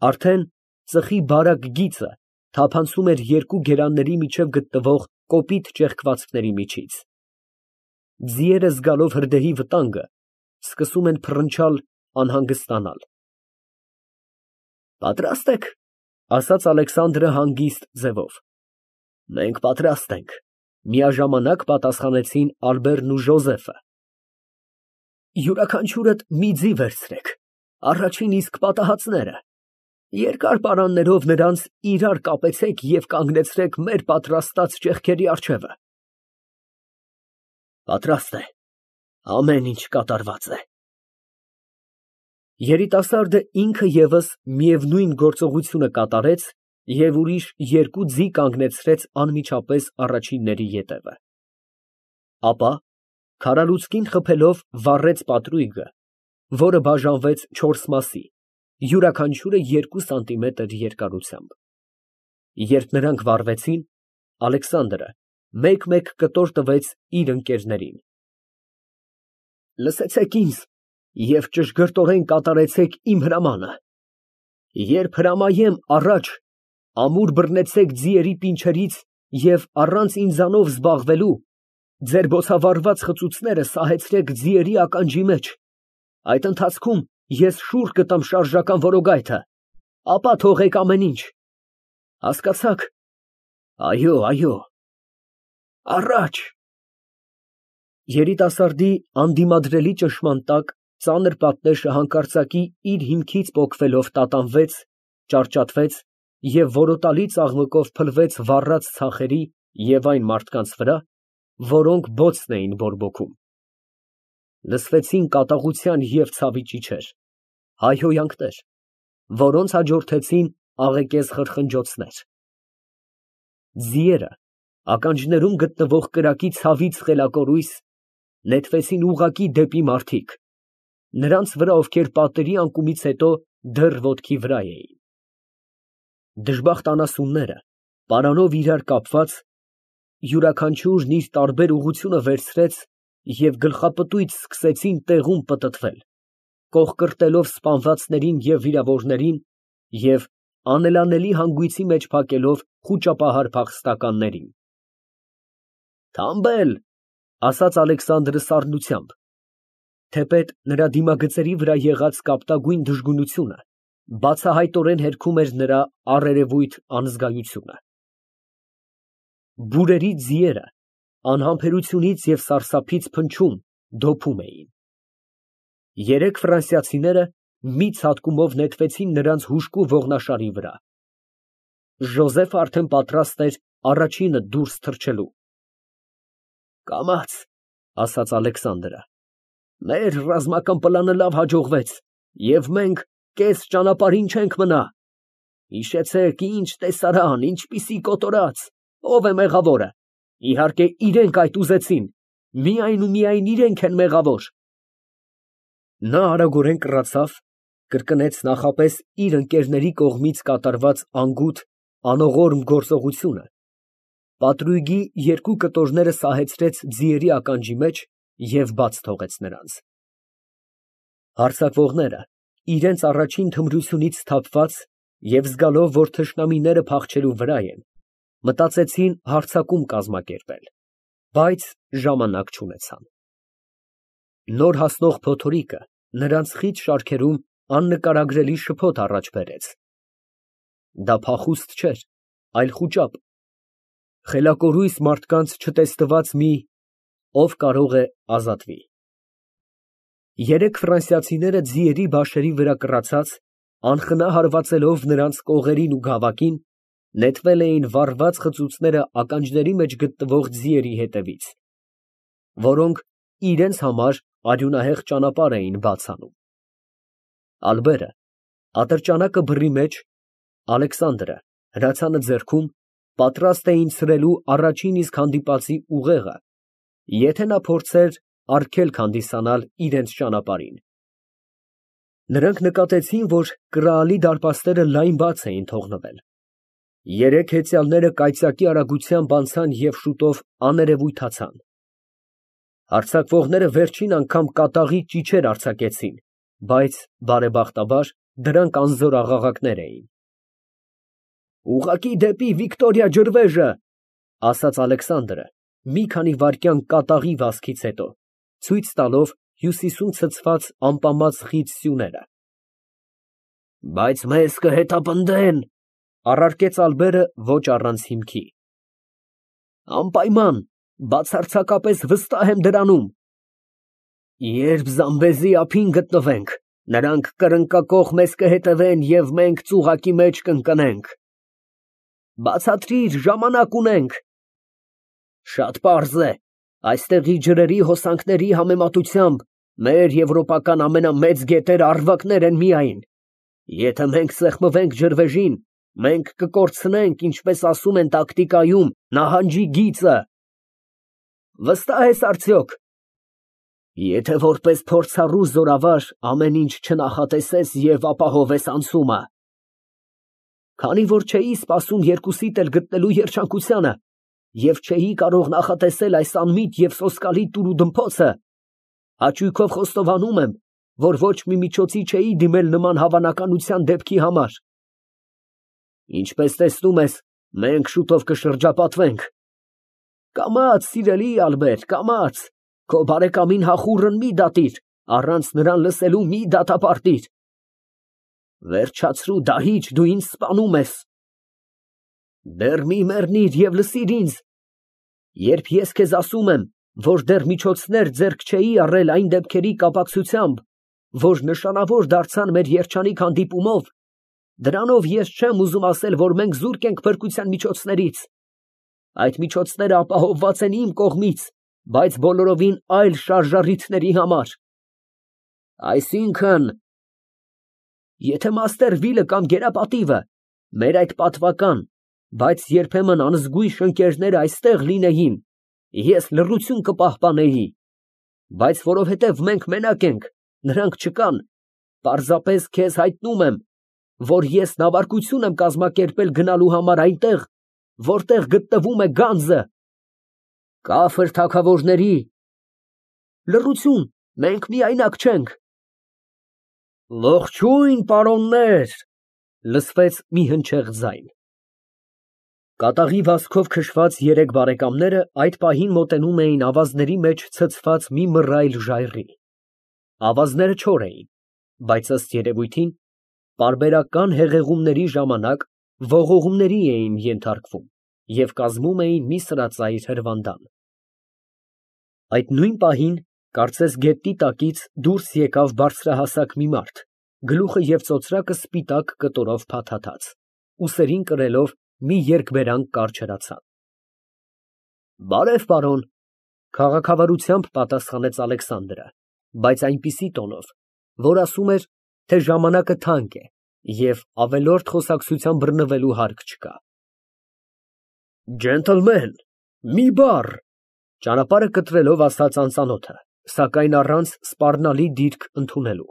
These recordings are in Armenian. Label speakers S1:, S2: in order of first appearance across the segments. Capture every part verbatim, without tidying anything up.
S1: Արդեն ծխի բարակ գիծը թափանցում էր երկու գերանների միջև գտնվող կոպիտ ճեղքվածքների միջից։ Ձիերը զգալով հրդեհի վտանգը, սկսում են փռնչալ, անհանգստանալ։ Պատրաստ ե՞ք, ֊ ասաց Ալեքսանդրը հանգիստ ձևով։ Մենք պատրաստ ենք, ֊ միաժամանակ պատասխանեցին Ալբերտն ու Ժոզեֆը։ Յուրաքանչյուրդ մի ձի վերցրեք, առաջին իսկ պատահածները, երկար պարաններով նրանց իրար կապեցեք և կանգնեցրեք մեր պատրաստած ճեղքերի առջևը։ Պատրաստ է, ամեն ինչ կատարված է։ Երիտասարդը ինքը ևս միևնույն գործողությունը կատարեց և ուրիշ երկու ձի կանգնեցրեց անմիջապես առաջինների ետևը։ Ապա քարալուցկին խփելով վառեց պատրույգը, որը բաժանվեց չորս մասի, յուրաքանչյուրը երկու սանտիմետր երկարությամբ։ Երբ նրանք վառվեցին, Ալեքսանդրը մեկ֊մեկ կտոր տվեց իր ընկերներին։ Լսեցեք ինձ և ճշգրտորեն կատարեցեք իմ հրամանը։ Երբ հրամայեմ առաջ, ամուր բռնեցեք ձիերի պինչերից և առանց ինձանով զբաղվելու, ձեր բոցավառված խծուցները սահեցրեք ձիերի ականջի մեջ, այդ ընթացքում ես շուռ կտամ շարժական որոգայթը, ապա թողեք ամեն ինչ։ Հասկացա՞ք։ Այո, այո։ Առաջ։ Երիտասարդի անդիմադրելի ճնշման տակ ծանր պատնեշը հանկարծակի իր հիմքից պոկվելով տատանվեց, ճարճատվեց և որոտալի ծաղմկով փլվեց վառած ցախերի և այն մարդկանց վրա, որոնք բոցն էին բորբոքում։ Լսվեցին կատաղության և ցավի ճիչեր, հայհոյանքներ, որոնց հաջորդեցին աղեկեզ խրխնջոցներ։ Ձիերը, ականջներում գտնվող կրակի ցավից խելակորույս, նետվեցին ուղղակի դեպի մարդիկ, նրանց վրա, ովքեր պատերի անկումից հետո դեռ ոտքի վրա էին։ Դժբախտ անասունները, պարանով իրար կապված, յուրաքանչյուրն իր տարբեր ուղղությունը վերցրեց և գլխապտույտ սկսեցին տեղում պտտվել, կոխկրտելով սպանվածներին և վիրավորներին և անելանելի հանգույցի մեջ փակելով խուճապահար փախստականներին։ Թամբել, ֊ ասաց Ալեքսանդրը սառնությամբ, թեպետ նրա դիմագծերի վրա եղած կապտագույն դժգունությունը բացահայտորեն հերքում էր նրա առերևույթ անզգայությունը։ Բուրերի ձիերը անհամբերությունից և սարսափից փնչում, դոփում էին։ Երեք ֆրանսիացիները մի ցատկումով նետվեցին նրանց հուժկու ողնաշարի վրա։ Ժոզեֆը արդեն պատրաստ էր առաջինը դուրս թռչելու։ Կամաց, ֊ ասաց Ալեքսանդրը, մեր ռազմական պլանը լավ հաջողվեց, և մենք կես ճանապարհին չենք մնա։ Հիշեցեք, ինչ տեսարան, ինչպիսի կոտորած, ո՞վ է մեղավորը։ Իհարկե, իրենք այդ ուզեցին, միայն ու միայն իրենք են մեղավոր։ Նա արագորեն կռացավ, կրկնեց նախապես իր ընկերների կողմից կատարված անգութ, անողորմ գործողությունը, պատրույգի երկու կտորները սահեցրեց ձիերի ականջի մեջ և բաց թողեց նրանց։ Հարձակվողները, իրենց առաջին թմրությունից սթափված և զգալով, որ թշնամիները փախչելու վրա են, մտածեցին հարձակում կազմակերպել, բայց ժամանակ չունեցան։ Նոր հասնող փոթորիկը նրանց խիտ շարքերում աննկարագրելի շփոթ առաջ բերեց։ Դա փախուստ չէր, այլ խուճապ, խելակորույս մարդկանց չտեսնված մի «ով կարող է ազատվի»։ Երեք ֆրանսիացիները ձիերի բաշերի վրա կռացած, անխնա հարվածելով նրանց կողերին ու գավակին, նետվել էին վառված խծուցները ականջների մեջ գտնվող ձիերի հետևից, որոնք իրենց համար արյունահեղ ճանապարհ էին բաց անում։ Ալբերը ատրճանակը բռի մեջ, Ալեքսանդրը հրացանը ձեռքում, պատրաստ էին ցրելու առաջին իսկ հանդիպածի ուղեղը, եթե նա փորձեր արգելք հանդիսանալ իրենց ճանապարհին։ Նրանք նկատեցին, որ կռալի դարպասները լայն բաց էին թողնվել։ Երեք հեծյալները կայծակի արագությամբ անցան և շուտով աներևույթացան։ Հարձակվողները վերջին անգամ կատաղի ճիչեր արձակեցին, բայց բարեբախտաբար Դրանք անզոր աղաղակներ էին։ Ուղղակի դեպի Վիկտորիա ջրվեժը, ասաց Ալեքսանդրը, մի քանի վայրկյան կատաղի վազքից հետո, ցույց տալով հյուսիսում ցցված ամպամած խիտ սյուները։ Բայց մեզ կհետապնդեն, առարկեց Ալբերը ոչ առանց հիմքի։ Անպայման, բացարձակապես վստահ եմ դրանում։ Երբ Զամբեզի ափին գտնվենք, նրանք կրնկակոխ մեզ կհետևեն և մենք ծուղակի մեջ կընկնենք։ Բացատրիր, ժամանակ ունենք։ Շատ պարզ է, այստեղի ջրերի հոսանքների համեմատությամբ մեր եվրոպական ամենամեծ գետերը առվակներ են միայն։ Եթե մենք սեղմվենք ջրվեժին, մենք կկորցնենք, ինչպես ասում են տակտիկայում, նահանջի գիծը։ Վստահ ես արդյոք։ Եթե որպես փորձառու զորավար ամեն ինչ չնախատեսես և ապահովես անցումը։ Քանի որ չէի սպասում երկուսիդ էլ գտնելու երջանկությանը և չէի կարող նախատեսել այս անմիտ և սոսկալի տուրուդմփոցը, հաճույքով խոստովանում եմ, որ ոչ մի միջոցի չէի դիմել նման հավանականության դեպքի համար։ Ինչպես տեսնում ես, մենք շուտով կշրջապատվենք։ Կամաց, սիրելի Ալբեր, կամաց, քո բարեկամին հախուռն մի դատիր, առանց նրան լսելու մի դատապարտիր։ Վերջացրու դահիճ, դու ինձ սպանում ես։ Դեռ մի մեռնիր և լսիր ինձ։ Երբ ես քեզ ասում եմ, որ դեռ միջոցներ ձեռք չէի առել այն դեպքերի կապակցությամբ, որ նշանավոր դարձան մեր երջանիկ հանդիպումով, դրանով ես չեմ ուզում ասել, որ մենք զուրկ ենք փրկության միջոցներից։ Այդ միջոցները ապահովված են իմ կողմից, բայց բոլորովին այլ շարժառիթների համար։ Այսինքն… Եթե Մասтерվիլը կամ Գերապատիվը, մեր այդ պատվական, բայց երբեմն անզգույշ ընկերները այստեղ լինեին, ես լռություն կպահպանեի, բայց որովհետև մենք մենակ ենք, նրանք չկան, պարզապես քեզ հայտնում եմ, որ ես նավարկություն եմ կազմակերպել գնալու համար այնտեղ, որտեղ գտնվում է գանձը։ Կաֆր թագավորների… Լռություն, մենք միայնակ չենք։ Ողջույն, պարոններ, լսվեց մի հնչեղ ձայն։ Կատաղի վազքով քշված երեք բարեկամները այդ պահին մոտենում էին ավազների մեջ ցցված մի մռայլ ժայռի։ Ավազները չոր էին, բայց ըստ երևույթին, պարբերական հեղեղումների ժամանակ ողողումների էին ենթարկվում և կազմում էին մի սրածայր հրվանդան։ Այդ նույն պահին, կարծես գետնի տակից դուրս եկավ բարձրահասակ մի մարդ, գլուխը և ծոծրակը սպիտակ կտորով փաթաթած, ուսերին կրելով մի երկբերանք կարճ հրացան։ Բարև, պարոն, քաղաքավարությամբ պատասխանեց Ալեքսանդրը, բայց այնպիսի տոնով, որ ասում էր, թե ժամանակը թանկ է և ավելորդ խոսակցության բռնվելու հարկ չկա։ Ջենտլմեն, մի բառ, ճանապարհը կտրելով ասաց անծանոթը, սակայն առանց սպառնալի դիրք ընդունելու։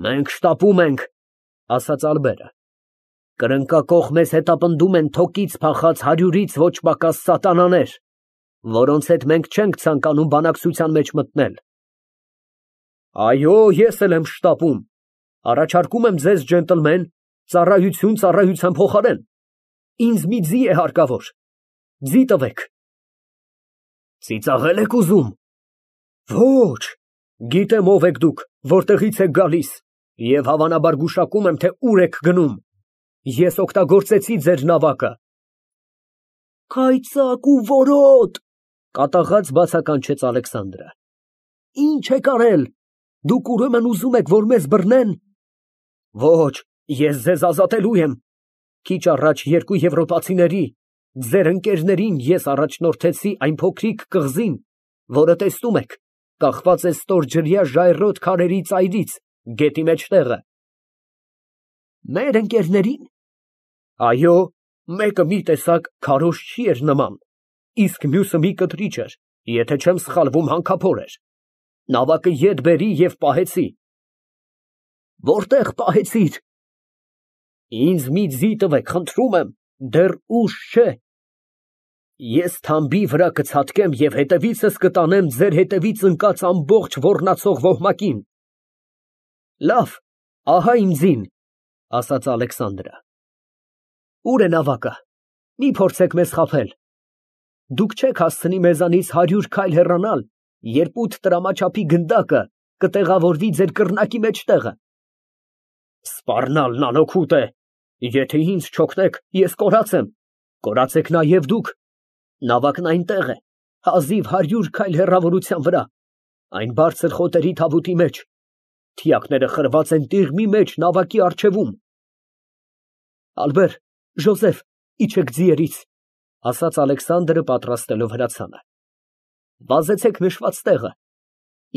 S1: Մենք շտապում ենք, ասաց Ալբերը, կրնկակոխ մեզ հետապնդում են թոկից փախած հարյուրից ոչ պակաս սատանաներ, որոնց հետ մենք չենք ցանկանում բանակցության մեջ մտնել։ Այո, ես էլ եմ շտապում, առաջարկում եմ ձեզ, ջենտլմեն, ծառայություն ծառայության փոխարեն, ինձ մի ձի է հարկավոր, ձի տվեք։ Ծիծաղե՞լ եք ուզում։ Ոչ, գիտեմ ով եք դուք, որտեղից եք գալիս և հավանաբար գուշակում եմ, թե ուր եք գնում։ Ես օգտագործեցի ձեր նավակը։ Կայծակ ու որոտ, կատաղած բացականչեց Ալեքսանդրը։ Ինչ եք արել, դուք ուրեմն ուզում եք, որ մեզ բռնեն։ Ոչ, ես ձեզ ազատելու եմ։ Քիչ առաջ երկու եվրոպացիների, ձեր ընկերներին ես առաջնորդեցի այն փոքրիկ կղզին, որը տեսնում եք, կախված է ստորջրյա ժայռոտ քարերի ծայրից, գետի մեջտեղը։ Մեր ընկերների՞ն։ Այո, մեկը մի տեսակ քարոզչի էր նման, իսկ մյուսը մի կտրիչ էր, եթե չեմ սխալվում, հանքափոր էր։ Նավակը ետ բերի և պահեցի։ Որտե՞ղ պահեցիր։ Ինձ մի ձի տվեք, խնդրում եմ, դեռ ուշ չէ։ Ես թամբի վրա կցատկեմ և հետևիցս կտանեմ ձեր հետևից ընկած ամբողջ ոռնացող ոհմակին։ Լավ, Ահա իմ ձին, ասաց Ալեքսանդրը։ Ո՞ւր է նավակը, մի փորձեք մեզ խաբել։ Դուք չեք հասցնի մեզանից հարյուր քայլ հեռանալ, երբ ութ տրամաչափի գնդակը կտեղավորվի ձեր կռնակի մեջտեղը։ Սպառնալն անօգուտ է, եթե ինձ չօգնեք, ես կորած եմ, կորացեք նաև դուք։ Նավակն այնտեղ է, հազիվ հարյուր քայլ հեռավորության վրա, այն բարձր խոտերի թավուտի մեջ, թիակները խրված են տիղմի մեջ նավակի առջևում։ Ալբեր, Ժոզեֆ, իջեք ձիերից, ասաց Ալեքսանդրը պատրաստելով հրացանը։ Վազեցեք նշված տեղը,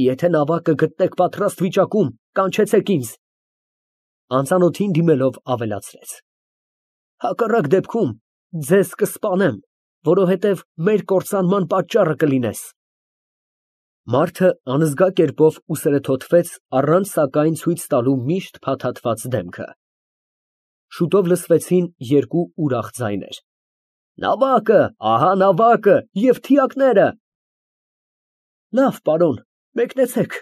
S1: եթե նավակը գտնեք պատրաստ վիճակում, կանչեցեք ինձ։ Անծանոթին դիմելով ավելացրեց. Հակառակ դեպքում ձեզ կսպանեմ, որովհետև մեր կործանման պատճառը կլինես։ Մարդը անզգա կերպով ուսերը թոթվեց, առանց սակայն ցույց տալու միշտ փաթաթված դեմքը։ Շուտով լսվեցին երկու ուրախ ձայներ. Նավակը, ահա նավակը և թիակները։ Լավ, պարոն, մեկնեցեք։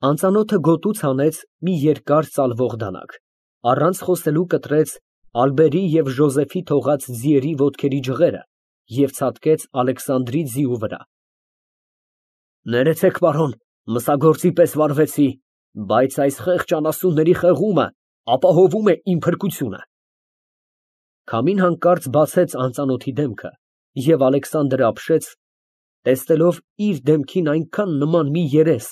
S1: Անծանոթը գոտուց հանեց մի երկար ծալվող դանակ, առանց խոսելու կտրեց Ալբերի և Ժոզեֆի թողած ձիերի ոտքերի ջղերը և ցատկեց Ալեքսանդրի ձիու վրա։ Ներեցեք, պարոն, մսագործի պես վարվեցի, բայց այս խեղճ անասունների խեղումը ապահովում է իմ փրկությունը։ Քամին հանկարծ բացեց անծանոթի դեմքը, և Ալեքսանդրը ապշեց, տեսնելով իր դեմքին այնքան նման մի երես,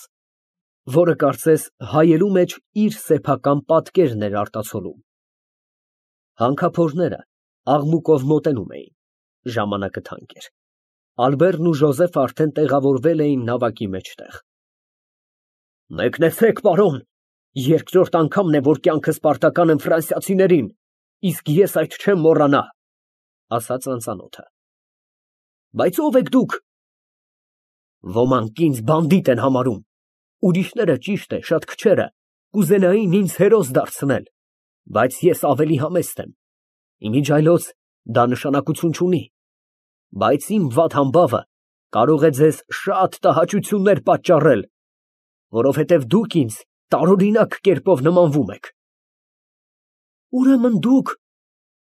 S1: որը կարծես հայելու մեջ իր սեփական պատկերն էր արտացոլում։ Հանքափորները աղմուկով մոտենում էին, ժամանակը թանկ էր։ Ալբերն ու Ժոզեֆը արդեն տեղավորվել էին նավակի մեջտեղ։ Մեկնեցեք, պարոն, երկրորդ անգամն է, որ կյանքս պարտական եմ ֆրանսիացիներին, իսկ ես այդ չեմ մոռանա, ասաց անծանոթը։ Բայց ո՞վ եք դուք։ Ոմանք ինձ բանդիտ են համարում, ուրիշները, ճիշտ է, շատ քչերը, կուզենային ինձ հերոս դարձնել, բայց ես ավելի համեստ եմ։ Իմիջ այլոց դա նշանակություն չունի, բայց իմ վատ համբավը կարող է ձեզ շատ տհաճություններ պատճառել, որովհետև դուք ինձ տարօրինակ կերպով նմանվում եք։ Ուրեմն դուք…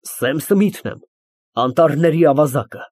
S1: Սեմ Սմիթն եմ, անտառների ավազակը։